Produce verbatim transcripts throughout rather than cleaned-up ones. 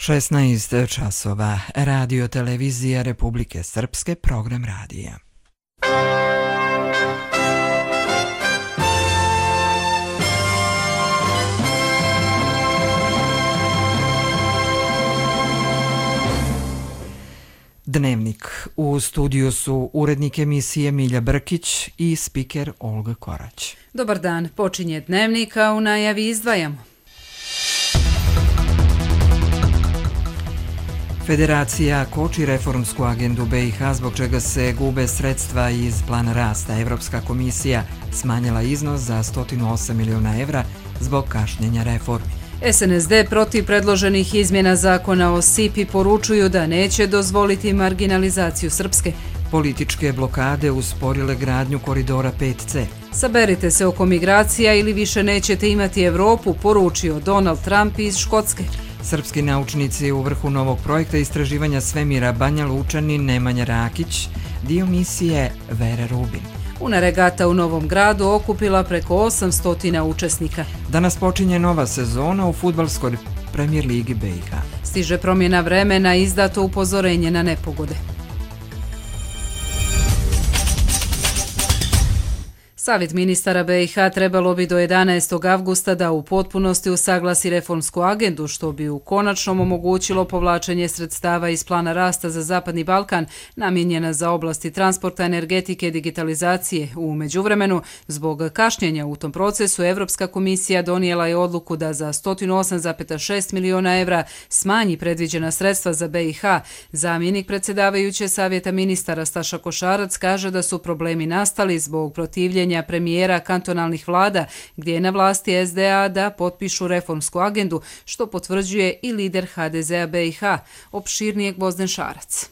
šesnaest časova. Radio televizija Republike Srpske, program radija. Dnevnik. U studiju su urednik emisije Milja Brkić i spiker Olga Korać. Dobar dan, počinje Dnevnik, a u najavi izdvajamo. Federacija koči reformsku agendu B i H, zbog čega se gube sredstva iz plana rasta. Evropska komisija smanjila iznos za sto osam miliona evra zbog kašnjenja reformi. S N S D protiv predloženih izmjena zakona o S I P-i poručuju da neće dozvoliti marginalizaciju Srpske. Političke blokade usporile gradnju koridora pet C. Saberite se oko migracija ili više nećete imati Evropu, poručio Donald Trump iz Škotske. Srpski naučnici u vrhu novog projekta istraživanja svemira Banja Lučanin Nemanja Rakić, dio misije Vere Rubin. Una regata u Novom Gradu okupila preko osamsto učesnika. Danas počinje nova sezona u fudbalskoj Premier ligi B i H. Stiže promjena vremena, izdato upozorenje na nepogode. Savjet ministara B i H trebalo bi do jedanaestog avgusta da u potpunosti usaglasi reformsku agendu, što bi u konačnom omogućilo povlačenje sredstava iz plana rasta za Zapadni Balkan, namijenjena za oblasti transporta, energetike i digitalizacije. U međuvremenu, zbog kašnjenja u tom procesu, Evropska komisija donijela je odluku da za sto osam zarez šest miliona evra smanji predviđena sredstva za B i H. Zamjenik predsjedavajuće Savjeta ministara Staša Košarac kaže da su problemi nastali zbog protivljenja premijera kantonalnih vlada, gdje je na vlasti S D A da potpišu reformsku agendu, što potvrđuje i lider H D Z-a B i H, opširnijeg Gvozden Šarac.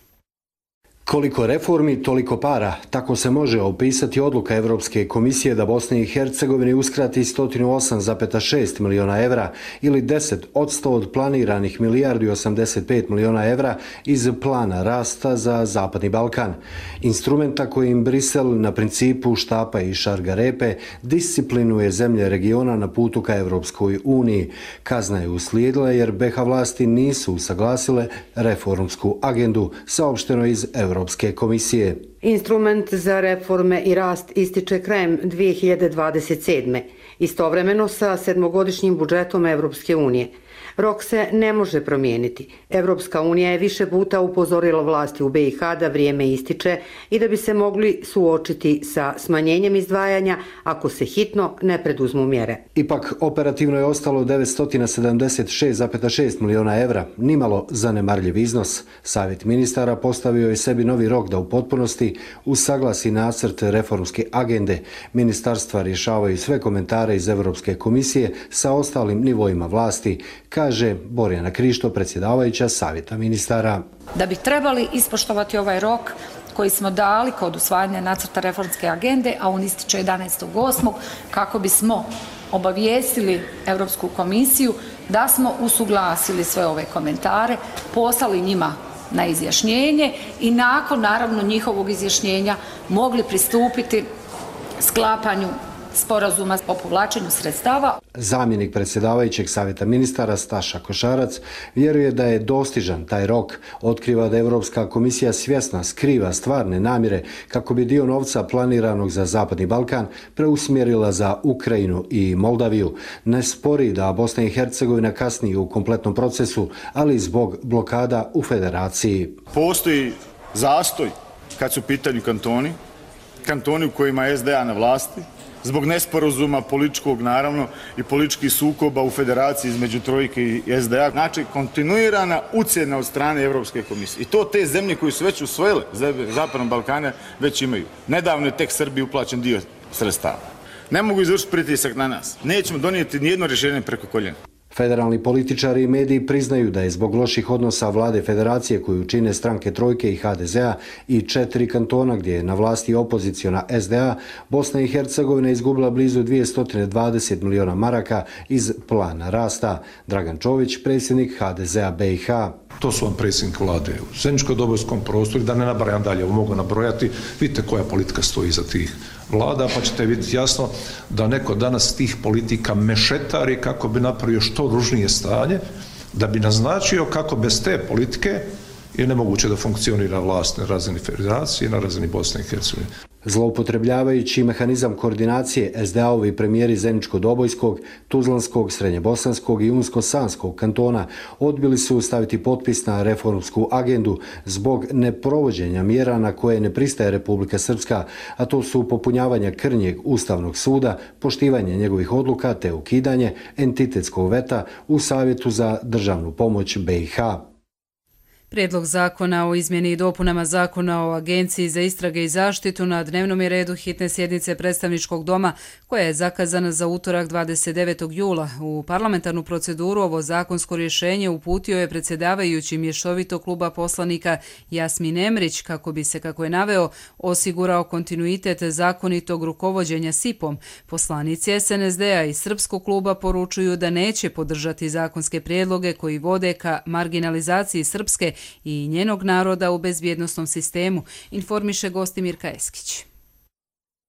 Koliko reformi, toliko para. Tako se može opisati odluka Evropske komisije da Bosni i Hercegovini uskrati sto osam zarez šest miliona evra ili deset posto od planiranih milijardu i osamdeset pet miliona evra iz plana rasta za Zapadni Balkan. Instrumenta kojim Brisel na principu štapa i šargarepe disciplinuje zemlje regiona na putu ka Evropskoj uniji. Kazna je uslijedila jer B H vlasti nisu usaglasile reformsku agendu, saopšteno iz Evropske Europske komisije. Instrument za reforme i rast ističe krajem dvije hiljade dvadeset sedme. Istovremeno sa sedmogodišnjim budžetom Evropske unije. Rok se ne može promijeniti. Evropska unija je više puta upozorila vlasti u B i H da vrijeme ističe i da bi se mogli suočiti sa smanjenjem izdvajanja ako se hitno ne preduzmu mjere. Ipak operativno je ostalo devetsto sedamdeset šest zarez šest miliona evra, nimalo zanemarljiv iznos. Savjet ministara postavio je sebi novi rok da u potpunosti usaglasi nacrt reformske agende. Ministarstva rješavaju sve komentare iz Evropske komisije sa ostalim nivoima vlasti, kaže Borjana Krišto, predsjedavajuća Savjeta ministara. Da bi trebali ispoštovati ovaj rok koji smo dali kod usvajanja nacrta reformske agende, a on ističe jedanaestog osmog kako bismo obavijestili Europsku komisiju da smo usuglasili sve ove komentare, poslali njima na izjašnjenje i nakon naravno njihovog izjašnjenja mogli pristupiti sklapanju sporazuma o povlačenju sredstava. Zamjenik predsjedavajućeg Savjeta ministara Staša Košarac vjeruje da je dostižan taj rok. Otkriva da Evropska komisija svjesna skriva stvarne namjere kako bi dio novca planiranog za Zapadni Balkan preusmjerila za Ukrajinu i Moldaviju. Ne spori da Bosna i Hercegovina kasni u kompletnom procesu, ali zbog blokada u federaciji. Postoji zastoj kad su u pitanju kantoni, kantoni u kojima je S D A na vlasti, zbog nesporazuma političkog naravno i političkih sukoba u federaciji između Trojke i S D A. Znači, kontinuirana ucjena od strane Evropske komisije. I to te zemlje koje su već usvojile Zapadnog Balkana već imaju. Nedavno je tek Srbiji uplaćen dio sredstava. Ne mogu izvršiti pritisak na nas. Nećemo donijeti nijedno rješenje preko koljena. Federalni političari i mediji priznaju da je zbog loših odnosa vlade federacije koju čine stranke Trojke i H D Z-a i četiri kantona gdje je na vlasti opoziciona S D A, Bosna i Hercegovina izgubila blizu dvjesto dvadeset miliona maraka iz plana rasta. Dragan Čović, predsjednik H D Z-a B i H. To su vam predsjednik vlade u zajedničko-dobojskom prostoru, da ne nabrajam dalje, ovo mogu nabrojati, vidite koja politika stoji iza tih vlada, pa ćete vidjeti jasno da neko danas tih politika mešetari kako bi napravio što ružnije stanje, da bi naznačio kako bez te politike je nemoguće da funkcionira vlast na razini federacije i na razini Bosne i Hercegovine. Zloupotrebljavajući mehanizam koordinacije, es de a-ovi premijeri Zeničko-Dobojskog, Tuzlanskog, Srednjebosanskog i Unsko-Sanskog kantona odbili su staviti potpis na reformsku agendu zbog neprovođenja mjera na koje ne pristaje Republika Srpska, a to su popunjavanje krnjeg Ustavnog suda, poštivanje njegovih odluka te ukidanje entitetskog veta u Savjetu za državnu pomoć be i ha. Prijedlog zakona o izmjeni i dopunama zakona o Agenciji za istrage i zaštitu na dnevnom je redu hitne sjednice predstavničkog doma koja je zakazana za utorak dvadeset devetog jula. U parlamentarnu proceduru ovo zakonsko rješenje uputio je predsjedavajući mješovitog kluba poslanika Jasmin Emrić kako bi se, kako je naveo, osigurao kontinuitet zakonitog rukovođenja es i pom. Poslanici es en es de a i Srpskog kluba poručuju da neće podržati zakonske prijedloge koji vode ka marginalizaciji Srpske i njenog naroda u bezbjednosnom sistemu, informiše Gostimirka Eskić.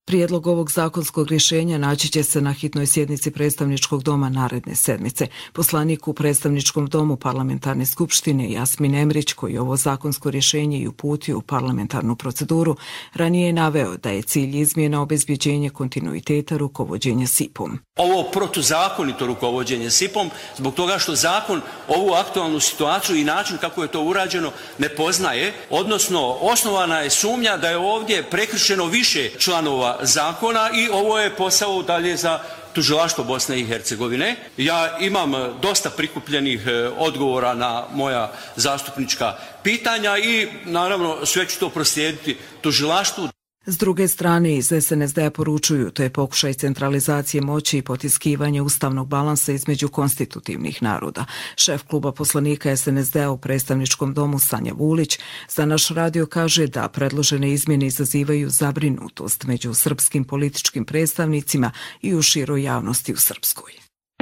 Prijedlog ovog zakonskog rješenja naći će se na hitnoj sjednici predstavničkog doma naredne sedmice. Poslanik u predstavničkom domu parlamentarne skupštine Jasmin Emrić, koji ovo zakonsko rješenje i uputio u parlamentarnu proceduru, ranije je naveo da je cilj izmjena obezbjeđenje kontinuiteta rukovođenja es i pom. Ovo protuzakonito rukovođenje es i pom zbog toga što zakon ovu aktualnu situaciju i način kako je to urađeno ne poznaje, odnosno osnovana je sumnja da je ovdje prekršeno više članova zakona i ovo je posao dalje za tužilaštvo Bosne i Hercegovine. Ja imam dosta prikupljenih odgovora na moja zastupnička pitanja i naravno sve ću to proslijediti tužilaštvu. S druge strane, iz es en es de a poručuju, to je pokušaj centralizacije moći i potiskivanje ustavnog balansa između konstitutivnih naroda. Šef kluba poslanika es en es de a u predstavničkom domu Sanja Vulić za naš radio kaže da predložene izmjene izazivaju zabrinutost među srpskim političkim predstavnicima i u široj javnosti u Srpskoj.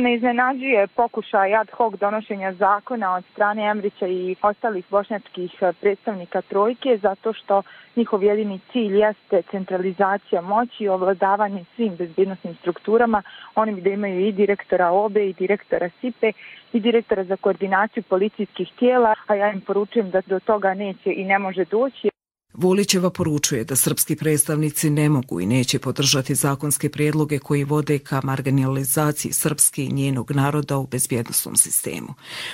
Ne iznenađuje pokušaj ad hoc donošenja zakona od strane Emrića i ostalih bošnjačkih predstavnika trojke zato što njihov jedini cilj jeste centralizacija moći i ovladavanje svim bezbjednosnim strukturama. Oni bi da imaju i direktora o be i direktora es i pe i direktora za koordinaciju policijskih tijela, a ja im poručujem da do toga neće i ne može doći. Vulićeva poručuje da srpski predstavnici ne mogu i neće podržati zakonske prijedloge koji vode ka marginalizaciji Srpske i njenog naroda u bezbjednosnom sistemu.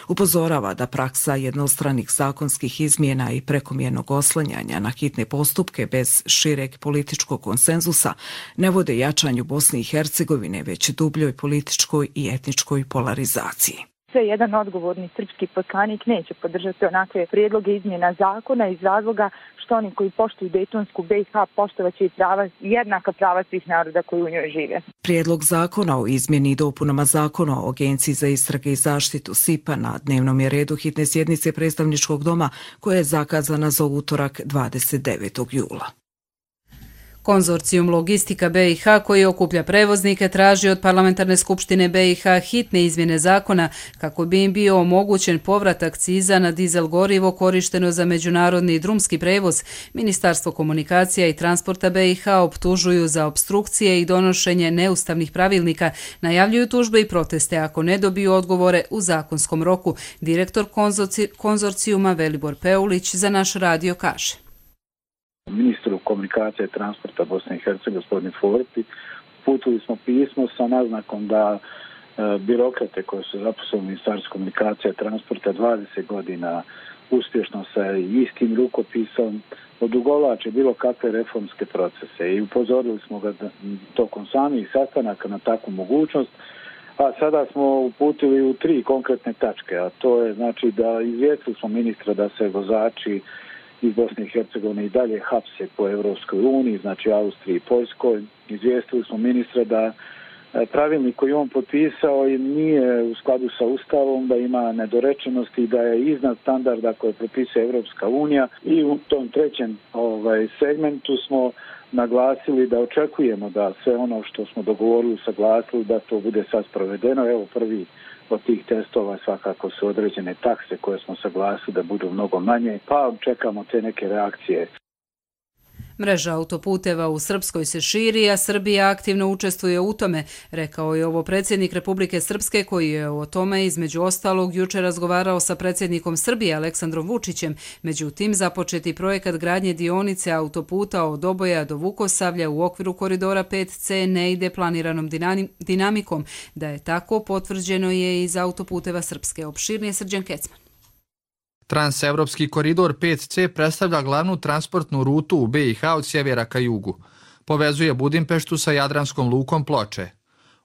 Upozorava da praksa jednostranih zakonskih izmjena i prekomjernog oslanjanja na hitne postupke bez šireg političkog konsenzusa ne vode jačanju Bosne i Hercegovine, već dubljoj političkoj i etničkoj polarizaciji. Sve jedan odgovorni srpski poslanik neće podržati onakve prijedloge izmjena zakona iz razloga što oni koji poštuju Dejtonsku be i ha poštovaće i prava, jednaka prava svih naroda koji u njoj žive. Prijedlog zakona o izmjeni i dopunama zakona o Agenciji za istrage i zaštitu es i pe na dnevnom je redu hitne sjednice predstavničkog doma koja je zakazana za utorak dvadeset devetog jula. Konzorcijum Logistika be i ha koji okuplja prevoznike traži od parlamentarne skupštine be i ha hitne izmjene zakona kako bi im bio omogućen povrat akciza na dizel gorivo korišteno za međunarodni i drumski prevoz. Ministarstvo komunikacija i transporta be i ha optužuju za opstrukcije i donošenje neustavnih pravilnika. Najavljuju tužbe i proteste ako ne dobiju odgovore u zakonskom roku. Direktor konzorci, konzorcijuma Velibor Peulić za naš radio kaže. Ministru komunikacije i transporta Bosne i Hercegovine, gospodin Forti, uputili smo pismo sa naznakom da e, birokrate koje su zaposleni u Ministarstvu komunikacije i transporta dvadeset godina uspješno sa istim rukopisom odugovlače bilo kakve reformske procese i upozorili smo ga da, tokom samih sastanaka na takvu mogućnost, a sada smo uputili u tri konkretne tačke, a to je znači da izvijestili smo ministra da se vozači iz Bosne i Hercegovine i dalje hapse po Evropskoj uniji, znači Austriji i Poljskoj. Izvijestili smo ministra da pravilnik koji on potpisao nije u skladu sa Ustavom, da ima nedorečenosti i da je iznad standarda koje propisuje Evropska unija. I u tom trećem ovaj, segmentu smo naglasili da očekujemo da sve ono što smo dogovorili, saglasili, da to bude sad sprovedeno. Evo prvi od tih testova svakako su određene takse koje smo saglasili da budu mnogo manje, pa čekamo te neke reakcije. Mreža autoputeva u Srpskoj se širi, a Srbija aktivno učestvuje u tome, rekao je ovo predsjednik Republike Srpske koji je o tome između ostalog juče razgovarao sa predsjednikom Srbije Aleksandrom Vučićem. Međutim, započeti projekat gradnje dionice autoputa od Doboja do Vukosavlja u okviru koridora pet ce ne ide planiranom dinamikom. Da je tako, potvrđeno je iz autoputeva Srpske. Opširnije Srđan Kecman. Transevropski koridor pet ce predstavlja glavnu transportnu rutu u be i ha od sjevera ka jugu. Povezuje Budimpeštu sa Jadranskom lukom Ploče.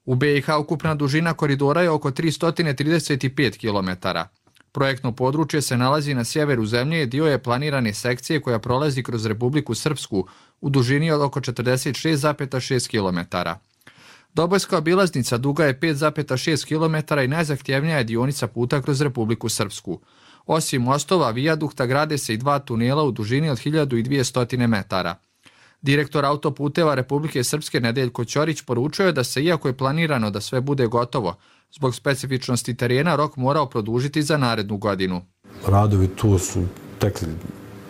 U be i ha ukupna dužina koridora je oko tristo trideset pet kilometara. Projektno područje se nalazi na sjeveru zemlje i dio je planirane sekcije koja prolazi kroz Republiku Srpsku u dužini od oko četrdeset šest zarez šest kilometara. Dobojska obilaznica duga je pet zarez šest kilometara i najzahtjevnija je dionica puta kroz Republiku Srpsku. Osim mostova, vijadukta grade se i dva tunela u dužini od hiljadu dvjesto metara. Direktor autoputeva Republike Srpske Nedeljko Ćorić poručio je da se, iako je planirano da sve bude gotovo, zbog specifičnosti terena rok morao produžiti za narednu godinu. Radovi tu su tekli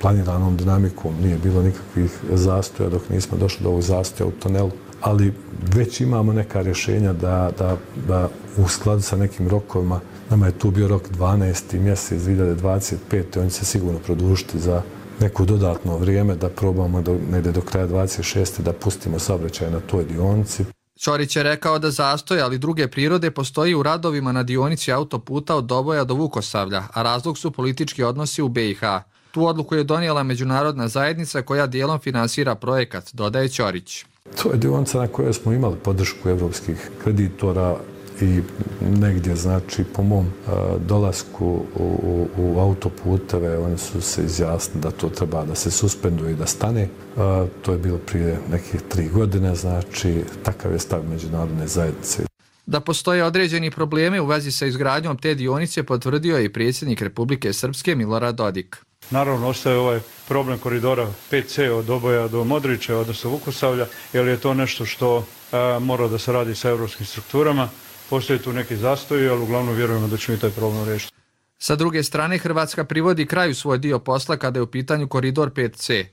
planiranom dinamikom, nije bilo nikakvih zastoja dok nismo došli do ovog zastoja u tunelu, ali već imamo neka rješenja da, da, da u skladu sa nekim rokovima, nama je tu bio rok dvanaesti mjesec dvije hiljade dvadeset pete. On će se sigurno produžiti za neko dodatno vrijeme da probamo do, negdje do kraja dvadeset šeste da pustimo saobraćaj na toj dionici. Ćorić je rekao da zastoj, ali druge prirode postoji u radovima na dionici autoputa od Doboja do Vukosavlja, a razlog su politički odnosi u be i ha. Tu odluku je donijela međunarodna zajednica koja dijelom finansira projekat, dodaje Ćorić. To je dionica na kojoj smo imali podršku evropskih kreditora i negdje, znači, po mom uh, dolasku u, u, u autoputeve, oni su se izjasnili da to treba da se suspenduje i da stane. Uh, to je bilo prije nekih tri godine, znači, takav je stav međunarodne zajednice. Da postoje određeni problemi u vezi sa izgradnjom te dionice potvrdio je i predsjednik Republike Srpske Milorad Dodik. Naravno, ostaje ovaj problem koridora pet ce od Doboja do Modriče, odnosno Vukosavlja, jer je to nešto što a, mora da se radi sa evropskim strukturama. Postoje tu neki zastoji, ali uglavnom vjerujemo da ćemo i taj problem riješiti. Sa druge strane, Hrvatska privodi kraju svoj dio posla kada je u pitanju koridor pet ce.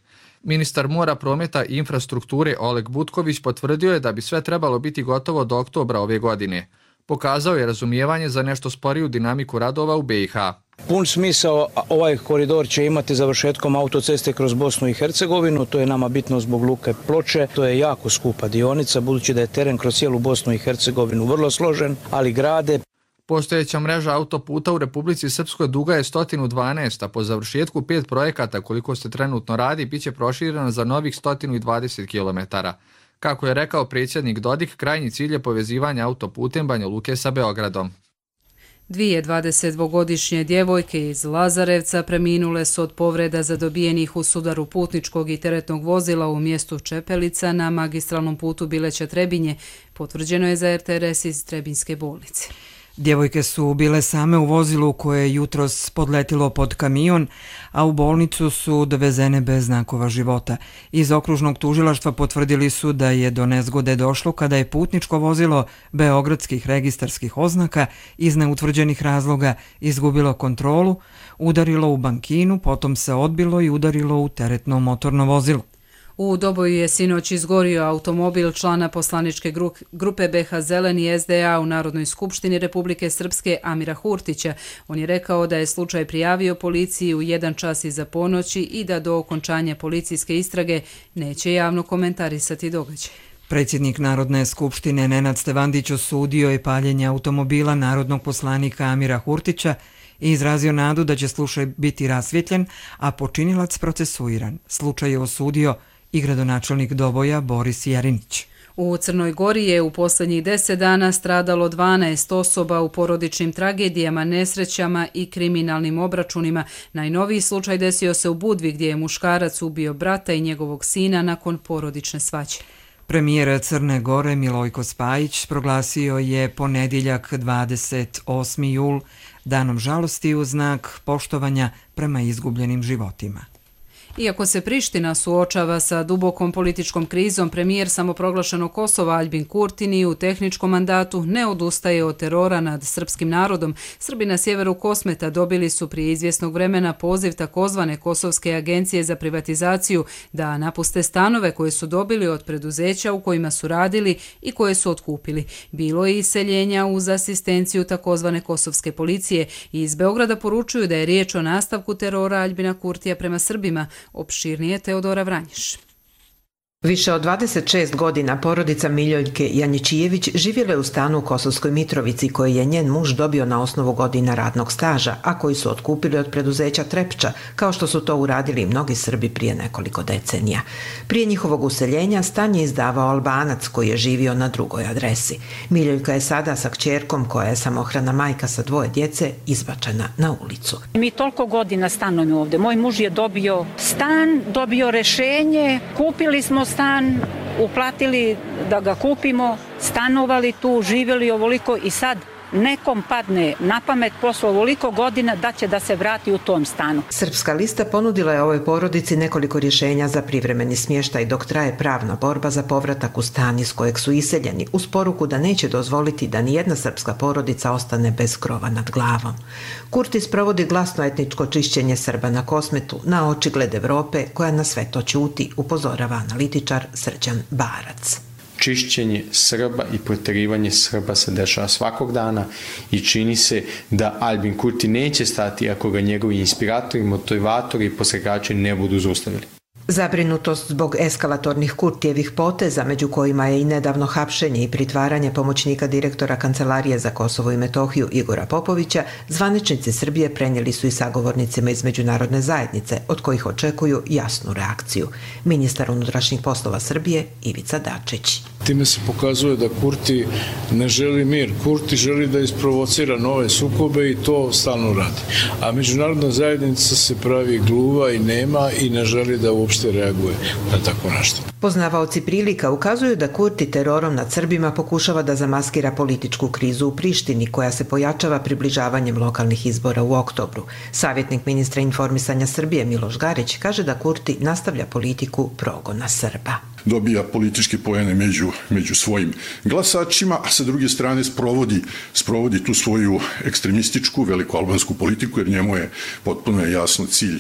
Ministar mora, prometa i infrastrukture Oleg Butković potvrdio je da bi sve trebalo biti gotovo do oktobra ove godine. Pokazao je razumijevanje za nešto sporiju dinamiku radova u be i ha. Pun smisao ovaj koridor će imati završetkom autoceste kroz Bosnu i Hercegovinu, to je nama bitno zbog luke Ploče, to je jako skupa dionica, budući da je teren kroz cijelu Bosnu i Hercegovinu vrlo složen, ali grade. Postojeća mreža autoputa u Republici Srpskoj duga je sto dvanaest, a po završetku pet projekata koliko se trenutno radi, bit će proširena za novih sto dvadeset kilometara. Kako je rekao predsjednik Dodik, krajnji cilj je povezivanje autoputem Banja Luke sa Beogradom. Dvije dvadesetdvogodišnje djevojke iz Lazarevca preminule su od povreda zadobijenih u sudaru putničkog i teretnog vozila u mjestu Čepelica na magistralnom putu Bileća-Trebinje, potvrđeno je za er te er es iz Trebinjske bolnice. Djevojke su bile same u vozilu koje je jutros podletilo pod kamion, a u bolnicu su dovezene bez znakova života. Iz okružnog tužilaštva potvrdili su da je do nezgode došlo kada je putničko vozilo beogradskih registarskih oznaka iz neutvrđenih razloga izgubilo kontrolu, udarilo u bankinu, potom se odbilo i udarilo u teretno motorno vozilo. U Doboju je sinoć izgorio automobil člana poslaničke grupe be ha Zeleni es de a u Narodnoj skupštini Republike Srpske Amira Hurtića. On je rekao da je slučaj prijavio policiji u jedan čas iza ponoći i da do okončanja policijske istrage neće javno komentarisati događaj. Predsjednik Narodne skupštine Nenad Stevandić osudio je paljenje automobila narodnog poslanika Amira Hurtića i izrazio nadu da će slučaj biti rasvjetljen, a počinilac procesuiran. Slučaj je osudio i gradonačelnik Doboja Boris Jerinić. U Crnoj Gori je u posljednjih deset dana stradalo dvanaest osoba u porodičnim tragedijama, nesrećama i kriminalnim obračunima. Najnoviji slučaj desio se u Budvi gdje je muškarac ubio brata i njegovog sina nakon porodične svađe. Premijer Crne Gore Milojko Spajić proglasio je ponedjeljak dvadeset osmi jul danom žalosti u znak poštovanja prema izgubljenim životima. Iako se Priština suočava sa dubokom političkom krizom, premijer samoproglašenog Kosova Aljbin Kurti ni u tehničkom mandatu ne odustaje od terora nad srpskim narodom. Srbi na sjeveru Kosmeta dobili su prije izvjesnog vremena poziv takozvane Kosovske agencije za privatizaciju da napuste stanove koje su dobili od preduzeća u kojima su radili i koje su otkupili. Bilo je iseljenja uz asistenciju takozvane Kosovske policije i iz Beograda poručuju da je riječ o nastavku terora Aljbina Kurtija prema Srbima. Opširnije Teodora Vranješ. Više od dvadeset šest godina porodica Miljoljke Janjičijević živjela je u stanu u Kosovskoj Mitrovici koji je njen muž dobio na osnovu godina radnog staža, a koji su otkupili od preduzeća Trepča, kao što su to uradili i mnogi Srbi prije nekoliko decenija. Prije njihovog useljenja stan je izdavao Albanac koji je živio na drugoj adresi. Miljoljka je sada sa kćerkom, koja je samohrana majka sa dvoje djece, izbačena na ulicu. Mi toliko godina stanujemo ovdje. Moj muž je dobio stan, dobio rešenje, kupili smo stan, uplatili da ga kupimo, stanovali tu, živjeli ovoliko i sad nekom padne na pamet posle ovoliko godina da će da se vrati u tom stanu. Srpska lista ponudila je ovoj porodici nekoliko rješenja za privremeni smještaj dok traje pravna borba za povratak u stan iz kojeg su iseljeni, uz poruku da neće dozvoliti da nijedna srpska porodica ostane bez krova nad glavom. Kurti sprovodi glasno etničko čišćenje Srba na Kosmetu, na očigled Evrope koja na sve to ćuti, upozorava analitičar Srđan Barac. Čišćenje Srba i protjerivanje Srba se dešava svakog dana i čini se da Aljbin Kurti neće stati ako ga njegovi inspiratori, motivatori i posregači ne budu zaustavili. Zabrinutost zbog eskalatornih Kurtijevih poteza, među kojima je i nedavno hapšenje i pritvaranje pomoćnika direktora Kancelarije za Kosovo i Metohiju Igora Popovića, zvaničnici Srbije prenijeli su i sagovornicima iz međunarodne zajednice, od kojih očekuju jasnu reakciju. Ministar unutrašnjih poslova Srbije Ivica Dačić. Time se pokazuje da Kurti ne želi mir. Kurti želi da isprovocira nove sukobe i to stalno radi. A međunarodna zajednica se pravi gluva i nema i ne želi da uopšte reaguje na tako nešto. Poznavaoci prilika ukazuju da Kurti terorom nad Srbima pokušava da zamaskira političku krizu u Prištini koja se pojačava približavanjem lokalnih izbora u oktobru. Savjetnik ministra informisanja Srbije Miloš Garić kaže da Kurti nastavlja politiku progona Srba. Dobija političke poene među, među svojim glasačima, a sa druge strane sprovodi, sprovodi tu svoju ekstremističku velikoalbansku politiku, jer njemu je potpuno jasno cilj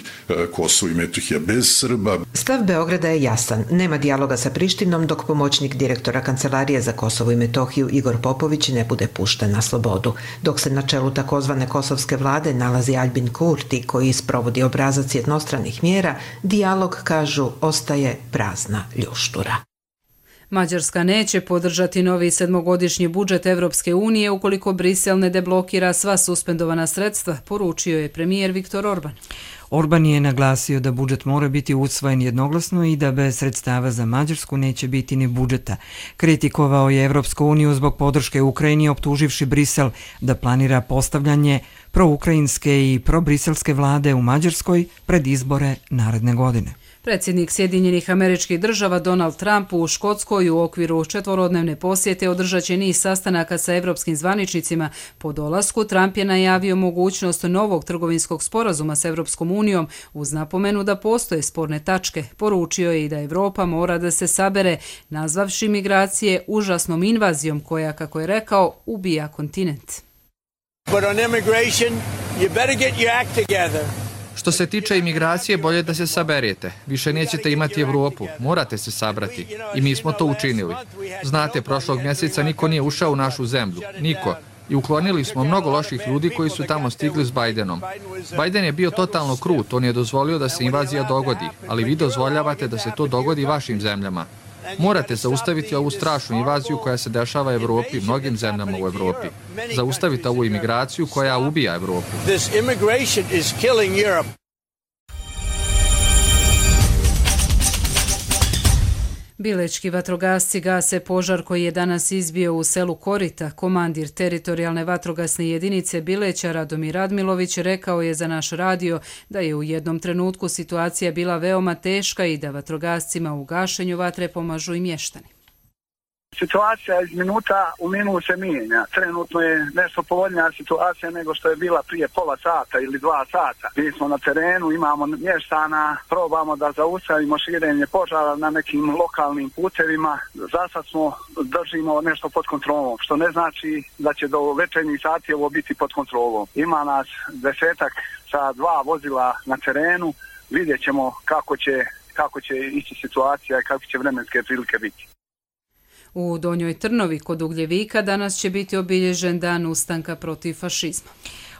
Kosovo i Metohija bez Srba. Stav Beograda je jasan. Nema dijaloga sa Prištinom dok pomoćnik direktora Kancelarije za Kosovo i Metohiju Igor Popović ne bude pušten na slobodu. Dok se na čelu takozvane kosovske vlade nalazi Aljbin Kurti koji sprovodi obrazac jednostranih mjera, dijalog, kažu, ostaje prazna ljušta. Mađarska neće podržati novi sedmogodišnji budžet Evropske unije ukoliko Brisel ne deblokira sva suspendovana sredstva, poručio je premijer Viktor Orban. Orban je naglasio da budžet mora biti usvojen jednoglasno i da bez sredstava za Mađarsku neće biti ni budžeta. Kritikovao je Evropsku uniju zbog podrške Ukrajini, optuživši Brisel da planira postavljanje proukrajinske i probriselske vlade u Mađarskoj pred izbore naredne godine. Predsjednik Sjedinjenih Američkih Država Donald Trump u Škotskoj u okviru četvorodnevne posjete održat će niz sastanaka sa evropskim zvaničnicima. Po dolasku Trump je najavio mogućnost novog trgovinskog sporazuma s Evropskom unijom uz napomenu da postoje sporne tačke. Poručio je i da Evropa mora da se sabere, nazvavši migracije užasnom invazijom koja, kako je rekao, ubija kontinent. But on immigration, you better get your act together. Što se tiče imigracije, bolje da se saberete. Više nećete imati Evropu. Morate se sabrati. I mi smo to učinili. Znate, prošlog mjeseca niko nije ušao u našu zemlju. Niko. I uklonili smo mnogo loših ljudi koji su tamo stigli s Bajdenom. Bajden je bio totalno krut. On je dozvolio da se invazija dogodi. Ali vi dozvoljavate da se to dogodi vašim zemljama. Morate zaustaviti ovu strašnu invaziju koja se dešava Evropi, mnogim zemljama u Evropi. Zaustavite ovu imigraciju koja ubija Evropu. Bilečki vatrogasci gase požar koji je danas izbio u selu Korita. Komandir teritorijalne vatrogasne jedinice Bileća Radomir Radmilović rekao je za naš radio da je u jednom trenutku situacija bila veoma teška i da vatrogascima u gašenju vatre pomažu i mještani. Situacija iz minuta u minut se mijenja. Trenutno je nešto povoljnija situacija nego što je bila prije pola sata ili dva sata. Mi smo na terenu, imamo mještana, probamo da zaustavimo širenje požara na nekim lokalnim putevima. Za sad smo držimo nešto pod kontrolom, što ne znači da će do večernjih sati ovo biti pod kontrolom. Ima nas desetak sa dva vozila na terenu, vidjet ćemo kako će, kako će ići situacija i kako će vremenske prilike biti. U Donjoj Trnovi kod Ugljevika danas će biti obilježen dan ustanka protiv fašizma.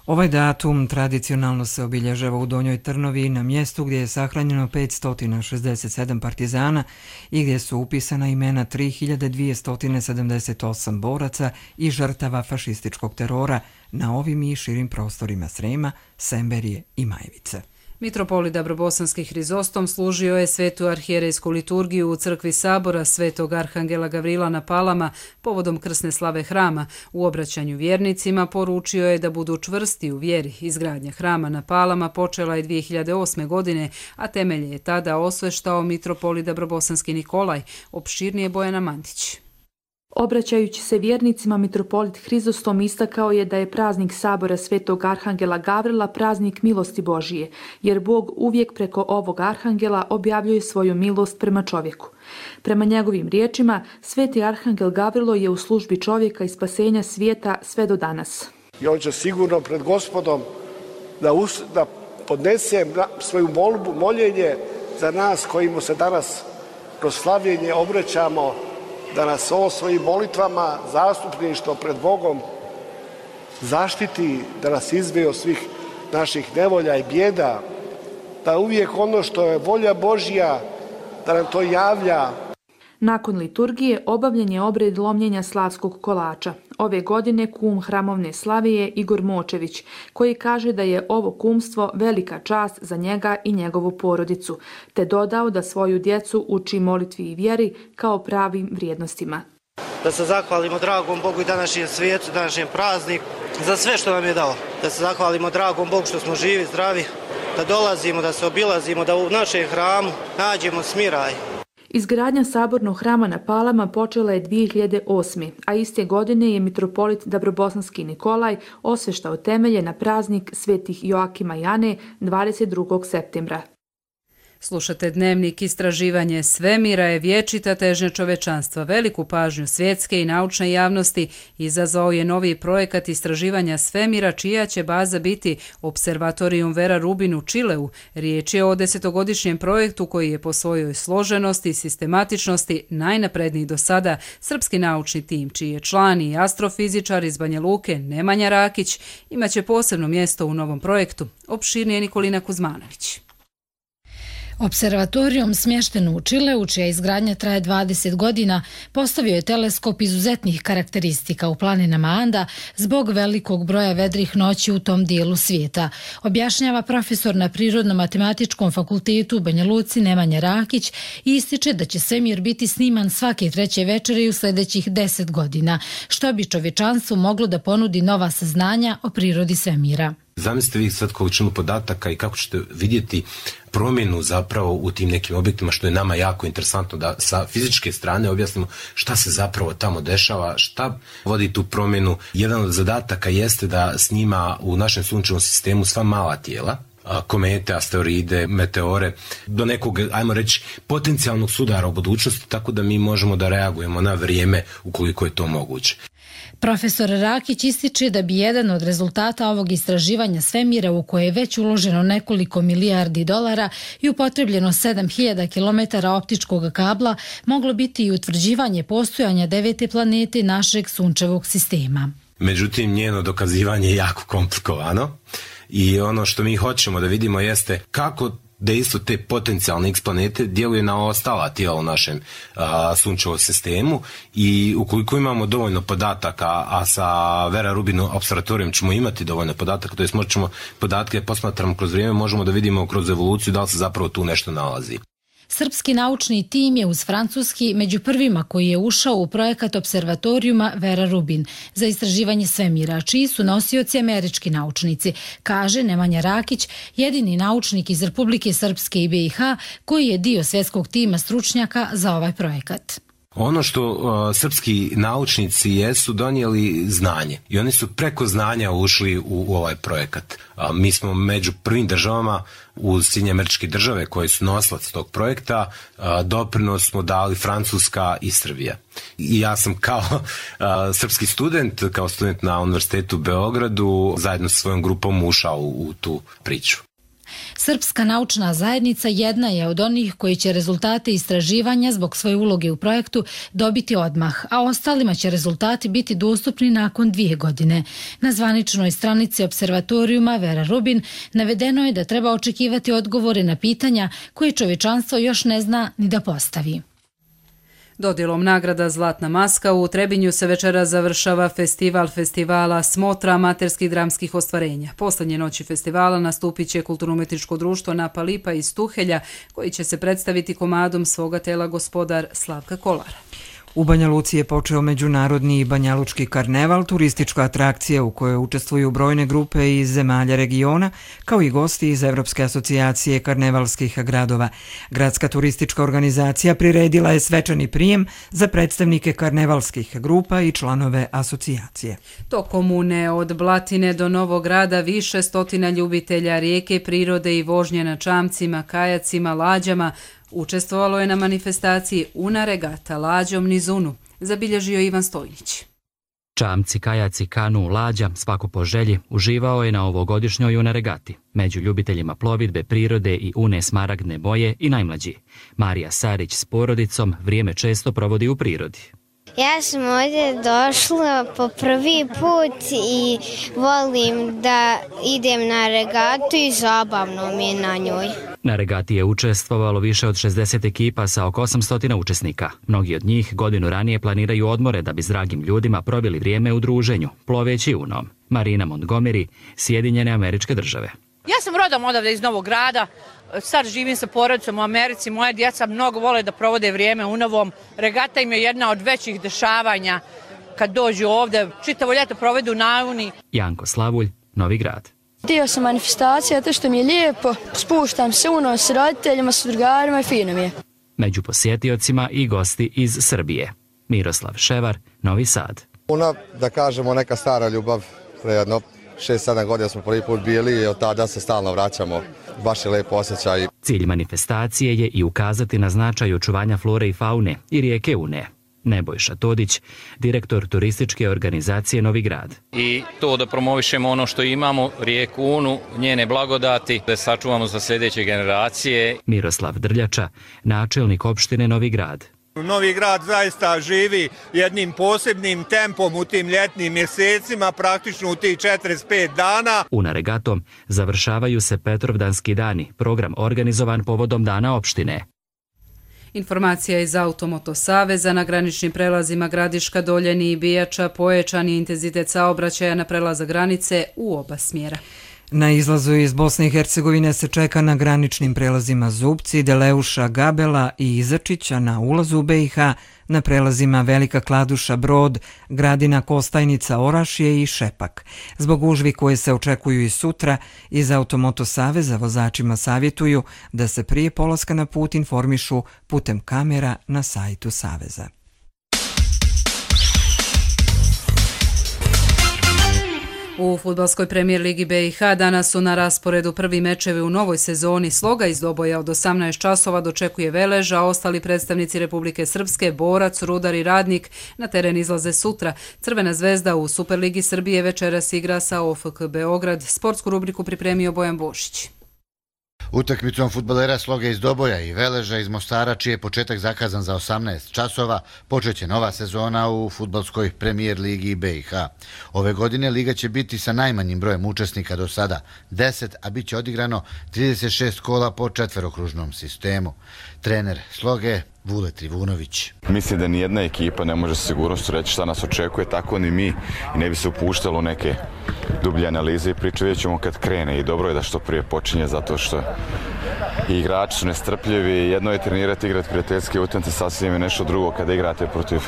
Ovaj datum tradicionalno se obilježava u Donjoj Trnovi na mjestu gdje je sahranjeno petsto šezdeset sedam partizana i gdje su upisana imena tri hiljade dvjesto sedamdeset osam boraca i žrtava fašističkog terora na ovim i širim prostorima Srema, Semberije i Majevice. Mitropolit Dabrobosanski Hrizostom služio je svetu arhijerejsku liturgiju u crkvi Sabora Svetog Arhangela Gavrila na Palama povodom krsne slave hrama. U obraćanju vjernicima poručio je da budu čvrsti u vjeri. Izgradnja hrama na Palama počela je dvije hiljade osme. godine, a temelje je tada osveštao mitropolit Dabrobosanski Nikolaj. Opširnije Bojana Mandić. Obraćajući se vjernicima, mitropolit Hrizostom istakao je da je praznik Sabora Svetog Arhangela Gavrila praznik milosti Božije, jer Bog uvijek preko ovog arhangela objavljuje svoju milost prema čovjeku. Prema njegovim riječima, Sveti Arhangel Gavrilo je u službi čovjeka i spasenja svijeta sve do danas. I on će sigurno pred Gospodom da, us, da podnese svoju molbu, moljenje za nas koji mu se danas kroz slavljenje obraćamo, da nas ovo svojim molitvama, zastupništvo pred Bogom zaštiti, da nas izveje od svih naših nevolja i bijeda, da uvijek ono što je volja Božja, da nam to javlja. Nakon liturgije obavljen je obred lomljenja slavskog kolača. Ove godine kum hramovne slave je Igor Močević, koji kaže da je ovo kumstvo velika čast za njega i njegovu porodicu, te dodao da svoju djecu uči molitvi i vjeri kao pravim vrijednostima. Da se zahvalimo dragom Bogu i današnjem svijetu, današnjem prazniku, za sve što nam je dao. Da se zahvalimo dragom Bogu što smo živi, zdravi, da dolazimo, da se obilazimo, da u našem hramu nađemo smiraj. Izgradnja sabornog hrama na Palama počela je dvije hiljade osme. a iste godine je mitropolit Dabrobosanski Nikolaj osveštao temelje na praznik svetih Joakima i Ane dvadeset drugog septembra. Slušate Dnevnik. Istraživanje svemira je vječita težnja čovečanstva. Veliku pažnju svjetske i naučne javnosti izazvao je novi projekat istraživanja svemira, čija će baza biti Observatorijum Vera Rubin u Čileu. Riječ je o desetogodišnjem projektu koji je po svojoj složenosti i sistematičnosti najnapredniji do sada. Srpski naučni tim, čiji je član i astrofizičar iz Banja Luke Nemanja Rakić, imaće posebno mjesto u novom projektu. Opširnije Nikolina Kuzmanović. Observatorijum smješten u Čileu, čija izgradnja traje dvadeset godina, postavio je teleskop izuzetnih karakteristika u planinama Anda zbog velikog broja vedrih noći u tom dijelu svijeta, objašnjava profesor na Prirodno-matematičkom fakultetu u Banja Luci Nemanja Rakić i ističe da će svemir biti sniman svake treće večeri u sljedećih deset godina, što bi čovječanstvu moglo da ponudi nova saznanja o prirodi svemira. Zamislite vi sad količinu podataka i kako ćete vidjeti promjenu zapravo u tim nekim objektima, što je nama jako interesantno da sa fizičke strane objasnimo šta se zapravo tamo dešava, šta vodi tu promjenu. Jedan od zadataka jeste da snima u našem sunčevom sistemu sva mala tijela, komete, asteroide, meteore, do nekog, ajmo reći, potencijalnog sudara u budućnosti, tako da mi možemo da reagujemo na vrijeme ukoliko je to moguće. Profesor Rakić ističe da bi jedan od rezultata ovog istraživanja svemira, u koje je već uloženo nekoliko milijardi dolara i upotrebljeno sedam hiljada kilometara optičkog kabla, moglo biti i utvrđivanje postojanja devete planete našeg sunčevog sistema. Međutim, njeno dokazivanje je jako komplikovano i ono što mi hoćemo da vidimo jeste kako dejstvo te potencijalne X planete djeluje na ostala tijela u našem a, sunčevom sistemu i ukoliko imamo dovoljno podataka, a sa Vera Rubin observatorijom ćemo imati dovoljno podataka, to jest možemo podatke posmatramo kroz vrijeme, možemo da vidimo kroz evoluciju da li se zapravo tu nešto nalazi. Srpski naučni tim je uz francuski među prvima koji je ušao u projekat observatorijuma Vera Rubin za istraživanje svemira, čiji su nosioci američki naučnici, kaže Nemanja Rakić, jedini naučnik iz Republike Srpske i B i H koji je dio svjetskog tima stručnjaka za ovaj projekat. Ono što uh, srpski naučnici jesu donijeli znanje i oni su preko znanja ušli u, u ovaj projekat. Uh, mi smo među prvim državama uz Sjedinjene Američke Države koje su nosilac tog projekta, uh, doprinos smo dali Francuska i Srbija. I ja sam kao uh, srpski student, kao student na Univerzitetu u Beogradu, zajedno sa svojom grupom ušao u, u tu priču. Srpska naučna zajednica jedna je od onih koji će rezultate istraživanja zbog svoje uloge u projektu dobiti odmah, a ostalima će rezultati biti dostupni nakon dvije godine. Na zvaničnoj stranici observatorijuma Vera Rubin navedeno je da treba očekivati odgovore na pitanja koje čovječanstvo još ne zna ni da postavi. Dodjelom nagrada Zlatna maska u Trebinju se večera završava festival festivala Smotra amaterskih dramskih ostvarenja. Poslednje noći festivala nastupit će kulturno-umetničko društvo Napa Lipa iz Tuhelja, koji će se predstaviti komadom svoga tela Gospodar Slavka Kolara. U Banja Luci je počeo međunarodni Banjalučki karneval, turistička atrakcija u kojoj učestvuju brojne grupe iz zemalja regiona, kao i gosti iz Evropske asocijacije karnevalskih gradova. Gradska turistička organizacija priredila je svečani prijem za predstavnike karnevalskih grupa i članove asocijacije. Tokom une od Blatine do Novog Grada više stotina ljubitelja rijeke, prirode i vožnje na čamcima, kajacima, lađama učestvovalo je na manifestaciji Una regata lađom niz Unu, zabilježio Ivan Stojnić. Čamci, kajaci, kanu, lađa, svako po želji, uživao je na ovogodišnjoj Una regati. Među ljubiteljima plovidbe, prirode i une smaragdne boje i najmlađi. Marija Sarić s porodicom vrijeme često provodi u prirodi. Ja sam ovdje došla po prvi put i volim da idem na regatu i zabavno mi je na njoj. Na regati je učestvovalo više od šezdeset ekipa sa oko osamsto učesnika. Mnogi od njih godinu ranije planiraju odmore da bi s dragim ljudima proveli vrijeme u druženju, ploveći unom. Marina Montgomery, Sjedinjene Američke Države. Ja sam rodom odavde iz Novog Grada, sad živim sa porodicom u Americi, moje djeca mnogo vole da provode vrijeme u Novom. Regata im je jedna od većih dešavanja kad dođu ovde, čitavo ljeto provedu na Uni. Janko Slavulj, Novi Grad. Dio sam manifestacija, to što mi je lijepo, spuštam se uno s roditeljima, s drugarima i fino mi je. Među posjetiocima i gosti iz Srbije. Miroslav Ševar, Novi Sad. Una, da kažemo, neka stara ljubav, prejedno šest sedam godina smo prvi put bili i od tada se stalno vraćamo. Baš je lepo osjećaj. Cilj manifestacije je i ukazati na značaj očuvanja flore i faune i rijeke Une. Nebojša Todić, direktor turističke organizacije Novi Grad. I to da promovišemo ono što imamo, rijeku Unu, njene blagodati, da sačuvamo za sljedeće generacije. Miroslav Drljača, načelnik opštine Novi Grad. Novi Grad zaista živi jednim posebnim tempom u tim ljetnim mjesecima, praktično u tih četrdeset pet dana. Una regatom završavaju se Petrovdanski dani, program organizovan povodom dana opštine. Informacija iz Automoto Saveza: na graničnim prelazima Gradiška, Doljeni i Bijača pojačan je intenzitet saobraćaja na prelaza granice u oba smjera. Na izlazu iz Bosne i Hercegovine se čeka na graničnim prelazima Zubci, Deleuša, Gabela i Izačića, na ulazu u B i H na prelazima Velika Kladuša, Brod, Gradina, Kostajnica, Orašje i Šepak. Zbog gužvi koje se očekuju i sutra, iz Automoto Saveza vozačima savjetuju da se prije polaska na put informišu putem kamera na sajtu Saveza. U fudbalskoj premijer ligi B i H danas su na rasporedu prvi mečevi u novoj sezoni. Sloga iz Doboja od osamnaest časova dočekuje Velež, a ostali predstavnici Republike Srpske, Borac, Rudar i Radnik na teren izlaze sutra. Crvena zvezda u Superligi Srbije večeras igra sa O F K Beograd. Sportsku rubriku pripremio Bojan Bošić. Utakmicom fudbalera Sloge iz Doboja i Veleža iz Mostara, čiji je početak zakazan za osamnaest časova, počeće nova sezona u fudbalskoj premijer ligi B i H. Ove godine liga će biti sa najmanjim brojem učesnika do sada, deset, a bit će odigrano trideset šest kola po četverokružnom sistemu. Trener Sloge Vule Trivunović. Mislim da nijedna ekipa ne može sa sigurnošću reći šta nas očekuje, tako ni mi, i ne bi se upuštalo neke dublje analize i priče, vidjet ćemo kad krene, i dobro je da što prije počinje, zato što i igrači su nestrpljivi. Jedno je trenirati, igrati prijateljske utakmice, sasvim je nešto drugo kada igrate protiv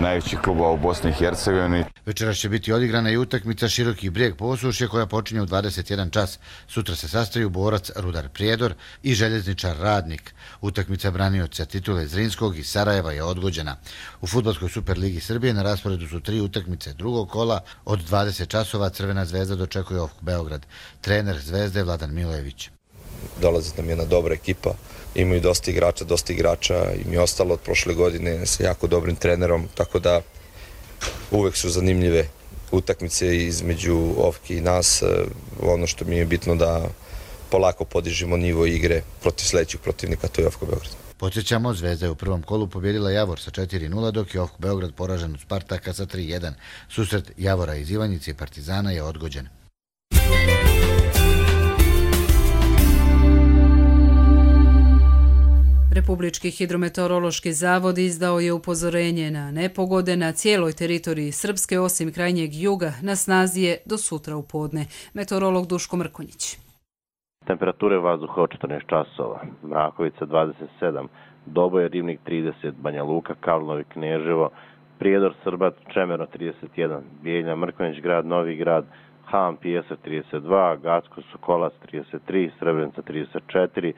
najvećih klubova u Bosni i Hercegovini. Večeras će biti odigrana i utakmica Široki Brijeg Posušje koja počinje u dvadeset jedan čas. Sutra se sastaju borac Rudar Prijedor i željezničar Radnik. Utakmica branioca titule Zrinskog i Sarajeva je odgođena. U Fudbalskoj Superligi Srbije na rasporedu su tri utakmice drugog kola. Od dvadeset časova Crvena zvezda dočekuje OFK Beograd. Trener Zvezde Vladan Milojević. Dolazi nam jedna dobra ekipa, imaju dosta igrača, dosta igrača im je ostalo od prošle godine sa jako dobrim trenerom, tako da uvek su zanimljive utakmice između OFK i nas. Ono što mi je bitno da polako podižemo nivo igre protiv sledećih protivnika, to je OFK Beograd. Podsjećamo, Zvezda je u prvom kolu pobjedila Javor sa četiri nula, dok je OFK Beograd poražen od Spartaka sa tri jedan. Susret Javora iz Ivanjice i Partizana je odgođen. Republički hidrometeorološki zavod izdao je upozorenje na nepogode na cijeloj teritoriji Srpske, osim krajnjeg juga, na snazi je do sutra u podne. Meteorolog Duško Mrkonjić. Temperature vazduha od četrnaest časova, Mrakovica dvadeset sedam, Doboj, Rivnik trideset, Banja Luka, Karlovi, Kneževo, Prijedor, Srbat, Čemerno trideset jedan, Bijeljina, Mrkonjić grad, Novi grad, Ham, Pijeser trideset dva, Gacko, Sokolac trideset tri, Srebrenica trideset četiri,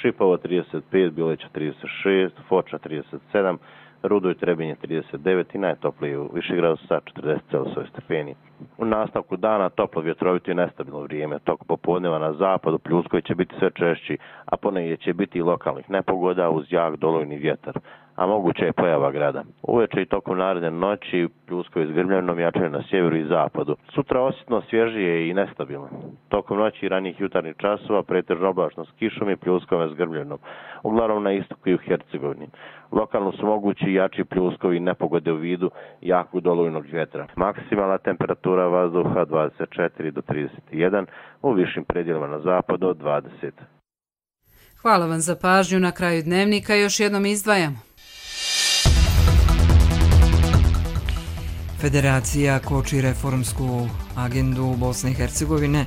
Šipovo trideset pet, Bileća trideset šest, Foča trideset sedam, Rudo i Trebinje trideset devet i najtopliji u Višegradu sa četrdeset stepeni. U nastavku dana toplo, vjetrovito i nestabilno vrijeme. Tok popodneva na zapadu pljuskovi će biti sve češći, a ponegdje će biti i lokalnih nepogoda uz jak dolojni vjetar, a moguće je pojava grada. Uveče i tokom naredne noći pljuskovi s grmljavinom jačaju na sjeveru i zapadu. Sutra osjetno svježije i nestabilno. Tokom noći i ranijih jutarnjih časova pretežno oblačno s kišom i pljuskove s grmljavinom, uglavnom na istoku i u Hercegovini. Lokalno su mogući i jači pljuskovi i nepogode u vidu jakog dolojnog vjetra. Maksimalna temperatura vazduha dvadeset četiri do trideset jedan, u višim predjelima na zapadu od dvadeset. Hvala vam za pažnju. Na kraju dnevnika još jednom izdvajamo. Federacija koči reformsku agendu Bosne i Hercegovine,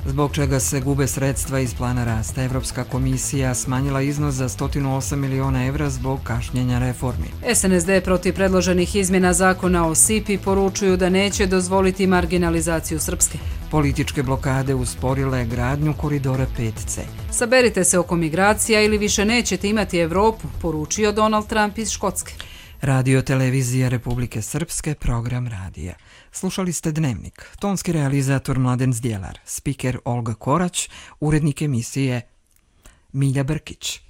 zbog čega se gube sredstva iz plana rasta. Evropska komisija smanjila iznos za sto osam miliona evra zbog kašnjenja reformi. S N S D protiv predloženih izmjena zakona o S I P I poručuju da neće dozvoliti marginalizaciju Srpske. Političke blokade usporile gradnju koridora pet C. Saberite se oko migracija ili više nećete imati Evropu, poručio Donald Trump iz Škotske. Radio televizija Republike Srpske, program radija. Slušali ste Dnevnik. Tonski realizator Mladen Zdjelar, spiker Olga Korać, urednik emisije Milja Brkić.